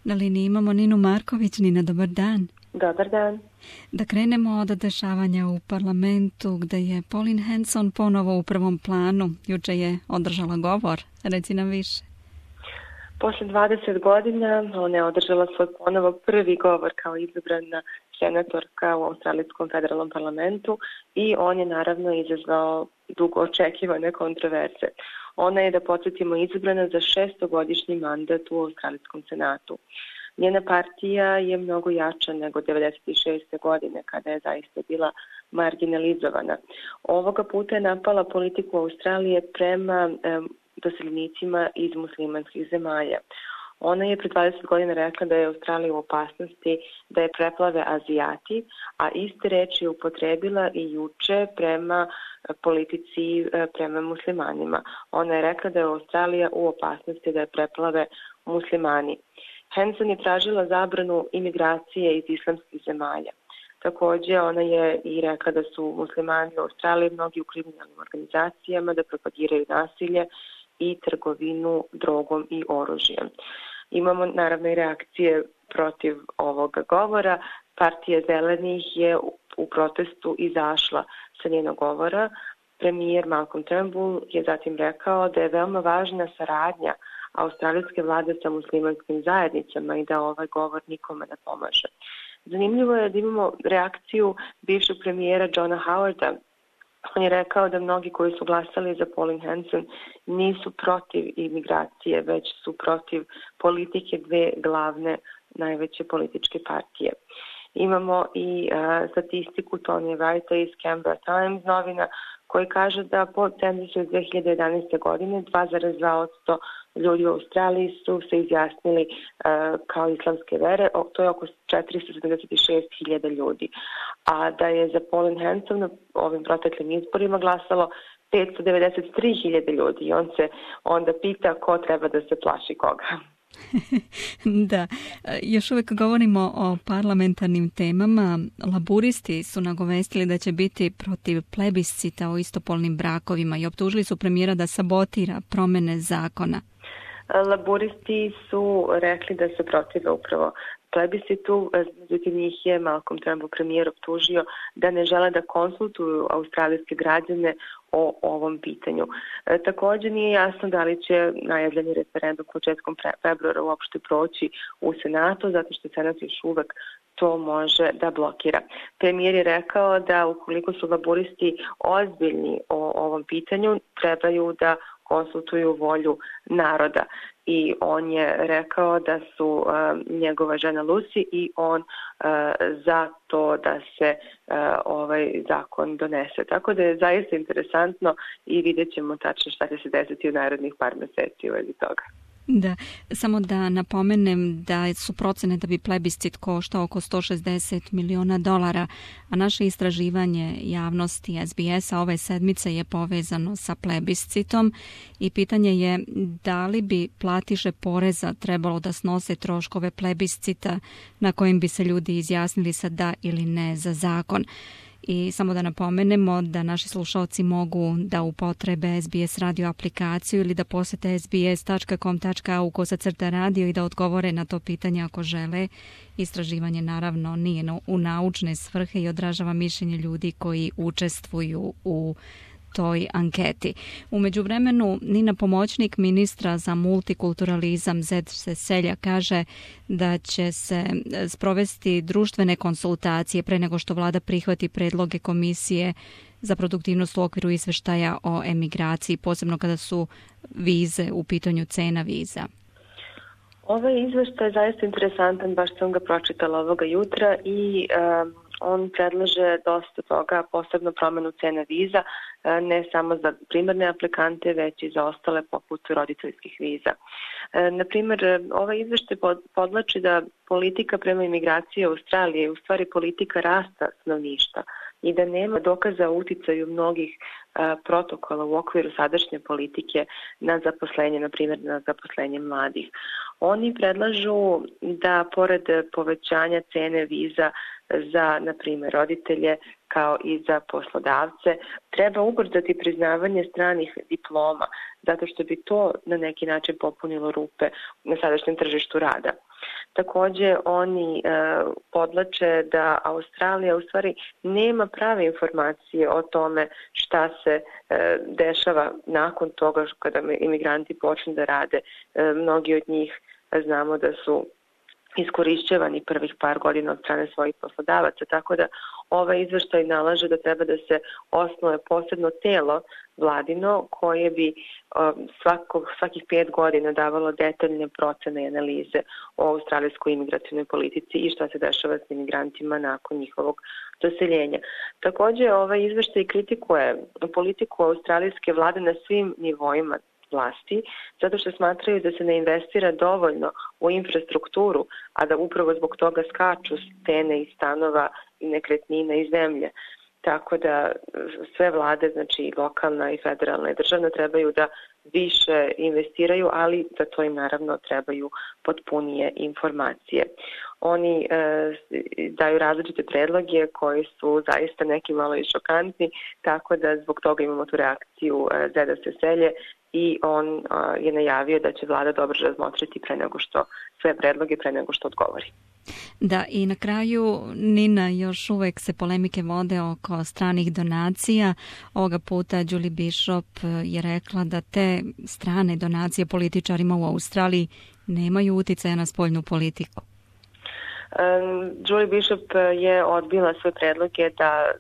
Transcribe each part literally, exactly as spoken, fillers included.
Na liniji imamo Ninu Marković. Nina, dobar dan. Dobar dan. Da krenemo od dešavanja u parlamentu gde je Pauline Hanson ponovo u prvom planu. Juče je održala govor. Reci nam više. Posle dvadeset godina ona je održala svoj ponovo prvi govor kao izabrana senatorka u Australijskom federalnom parlamentu i on je naravno izazvao dugo očekivane kontroverze. Ona je, da podsjetimo, izabrana za šestogodišnji mandat u Australijskom senatu. Njena partija je mnogo jača nego devedeset šeste godine, kada je zaista bila marginalizovana. Ovoga puta je napala politiku Australije prema eh, doseljenicima iz muslimanskih zemalja. Ona je pred dvadeset godina rekla da je Australija u opasnosti da je preplave Azijati, a iste reči je upotrebila i juče prema politici prema muslimanima. Ona je rekla da je Australija u opasnosti da je preplave muslimani. Hanson je tražila zabranu imigracije iz islamskih zemalja. Također ona je i rekla da su muslimani u Australiji mnogi u kriminalnim organizacijama, da propagiraju nasilje i trgovinu drogom i oružjem. Imamo naravno i reakcije protiv ovoga govora. Partija Zelenih je u protestu izašla sa njenog govora. Premijer Malcolm Turnbull je zatim rekao da je veoma važna saradnja australijske vlade sa muslimanskim zajednicama i da ovaj govor nikome ne pomaže. Zanimljivo je da imamo reakciju bivšeg premijera Johna Howarda. On je rekao da mnogi koji su glasali za Pauline Hanson nisu protiv imigracije, već su protiv politike dve glavne najveće političke partije. Imamo i uh, statistiku Tony Wrighta iz Canberra Times novina koji kaže da po cenzusu iz dve hiljade jedanaeste. godine dva zarez dva posto ljudi u Australiji su se izjasnili uh, kao islamske vere, o, to je oko četiristo sedamdeset šest hiljada ljudi. A da je za Pauline Hanson na ovim proteklim izborima glasalo petsto devedeset tri hiljade ljudi i on se onda pita ko treba da se plaši koga. Da, još uvijek govorimo o parlamentarnim temama. Laburisti su nagovestili da će biti protiv plebiscita o istopolnim brakovima i optužili su premijera da sabotira promjene zakona. Laburisti su rekli da se protive upravo plebiscitu, međutim njih je Malcolm Turnbull premijer optužio da ne žele da konsultuju australijske građane o ovom pitanju. E, također nije jasno da li će najavljeni referendum početkom februara uopšte proći u Senatu, zato što Senat još uvek to može da blokira. Premijer je rekao da ukoliko su laburisti ozbiljni o ovom pitanju, trebaju da konsultuju volju naroda. I on je rekao da su uh, njegova žena Lucy i on uh, za to da se uh, ovaj zakon donese. Tako da je zaista interesantno i vidjet ćemo tačno šta će se desiti u narednih par meseci u vezi toga. Da, samo da napomenem da su procene da bi plebiscit koštao oko sto šezdeset miliona dolara, a naše istraživanje javnosti S B S-a ove sedmice je povezano sa plebiscitom i pitanje je da li bi platiše poreza trebalo da snose troškove plebiscita na kojim bi se ljudi izjasnili sa da ili ne za zakon. I samo da napomenemo da naši slušalci mogu da upotrebe S B S radio aplikaciju ili da posete s b s tačka com tačka a u kosacrta radio i da odgovore na to pitanje ako žele. Istraživanje naravno nije u naučne svrhe i odražava mišljenje ljudi koji učestvuju u toj anketi. U međuvremenu Nina, pomoćnik ministra za multikulturalizam Zed Seselja, kaže da će se sprovesti društvene konsultacije pre nego što vlada prihvati predloge komisije za produktivnost u okviru izveštaja o emigraciji, posebno kada su vize u pitanju, cena viza. Ovaj izveštaj je zaista interesantan, baš sam ga pročitala ovoga jutra i um, on predlaže dosta toga, posebno promjenu cena viza, ne samo za primarne aplikante, već i za ostale poput roditeljskih viza. Na primjer, ovaj izveštaj podlači da politika prema imigraciji Australije je u stvari politika rasta stanovništva i da nema dokaza o uticaju mnogih a, protokola u okviru sadašnje politike na zaposlenje, na primjer na zaposlenje mladih. Oni predlažu da pored povećanja cene viza za, na primjer, roditelje kao i za poslodavce, treba ubrzati priznavanje stranih diploma, zato što bi to na neki način popunilo rupe na sadašnjem tržištu rada. Također oni e, podlače da Australija u stvari nema prave informacije o tome šta se e, dešava nakon toga kada imigranti počnu da rade. E, mnogi od njih znamo da su iskorišćavani prvih par godina od strane svojih poslodavaca, tako da ovaj izveštaj nalaže da treba da se osnuje posebno telo vladino koje bi svako, svakih pet godina davalo detaljne procene i analize o australijskoj imigrativnoj politici i šta se dešava s imigrantima nakon njihovog doseljenja. Također ovaj izveštaj kritikuje politiku australijske vlade na svim nivoima vlasti, zato što smatraju da se ne investira dovoljno u infrastrukturu, a da upravo zbog toga skaču cene i stanova i nekretnina i zemlje. Tako da sve vlade, znači lokalna i federalna i državna, trebaju da više investiraju, ali za to im naravno trebaju potpunije informacije. Oni e, daju različite predloge koji su zaista neki malo i šokantni, tako da zbog toga imamo tu reakciju e, Zeda Seselje i on e, je najavio da će vlada dobro razmotriti pre nego što sve predloge pre nego što odgovori. Da, i na kraju, Nina, još uvek se polemike vode oko stranih donacija. Ovoga puta Julie Bishop je rekla da te strane donacije političarima u Australiji nemaju uticaja na spoljnu politiku. Um, Julie Bishop je odbila sve predloge da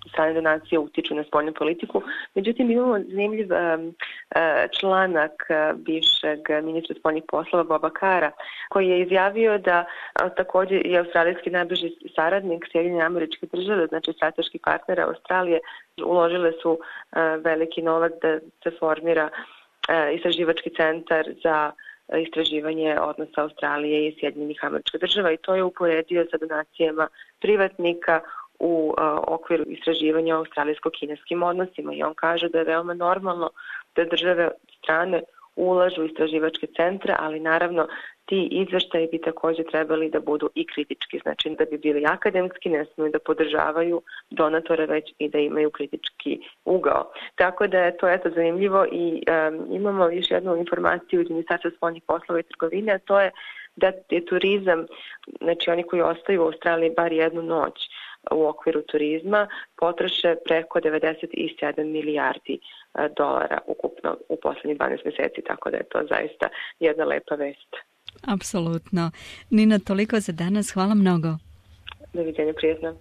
strane donacije utiču na spoljnu politiku. Međutim, imamo zanimljiv um, članak bivšeg ministra spoljnih poslova Boba Cara, koji je izjavio da a, također je australijski najbliži saradnik Sjedinjene Američke Države, znači strateški partner Australije, uložile su a, veliki novac da se formira a, istraživački centar za istraživanje odnosa Australije i Sjedinjenih Američkih Država i to je uporedio sa donacijama privatnika u uh, okviru istraživanja o australijsko-kineskim odnosima i on kaže da je veoma normalno da države strane ulažu u istraživačke centre, ali naravno ti izveštaji bi također trebali da budu i kritički, znači da bi bili akademski, ne smiju da podržavaju donatore, već i da imaju kritički ugao. Tako da je to eto zanimljivo i um, imamo još jednu informaciju iz Ministarstva spoljnih poslova i trgovine, a to je da je turizam, znači oni koji ostaju u Australiji bar jednu noć u okviru turizma, potroše preko devedeset sedam milijardi dolara ukupno u posljednjih dvanaest mjeseci, tako da je to zaista jedna lepa vest. Apsolutno. Nina, toliko za danas. Hvala mnogo. Doviđenja, prijatno.